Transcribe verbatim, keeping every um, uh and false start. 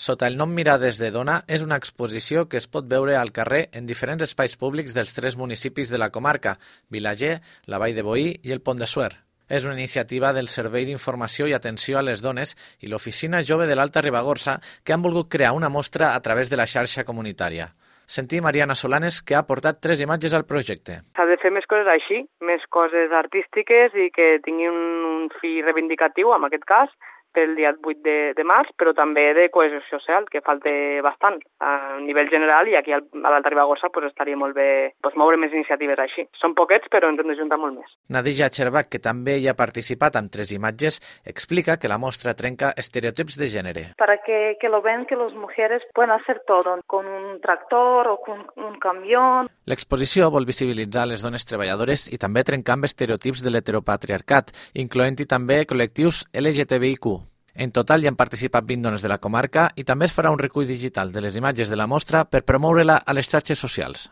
sota el nom Mirades de Dona, és una exposició que es pot veure al carrer en diferents espais públics dels tres municipis de la comarca, Vilaller, la Vall de Boí i el Pont de Suert. És una iniciativa del Servei d'Informació i Atenció a les Dones i l'Oficina Jove de l'Alta Ribagorça que han volgut crear una mostra a través de la xarxa comunitària. Sentim Mariana Solanes, que ha aportat tres imatges al projecte. S'ha de fer més coses així, més coses artístiques i que tinguin un fi reivindicatiu, en aquest cas, pel dia vuit de, de març, però també de cohesió social, que falta bastant a nivell general, i aquí a l'Alta Ribagorça pues, estaria molt bé pues, moure més iniciatives així. Són poquets, però ens hem d'ajuntar molt més. Nadija Cherbach, que també hi ha participat amb tres imatges, explica que la mostra trenca estereotips de gènere. Para que, que lo ven que las mujeres pueden hacer todo, con un tractor o con un camión. L'exposició vol visibilitzar les dones treballadores i també trencar amb estereotips de l'heteropatriarcat, incloent-hi també col·lectius L G T B I Q. En total hi han participat vint dones de la comarca i també es farà un recull digital de les imatges de la mostra per promoure-la a les xarxes socials.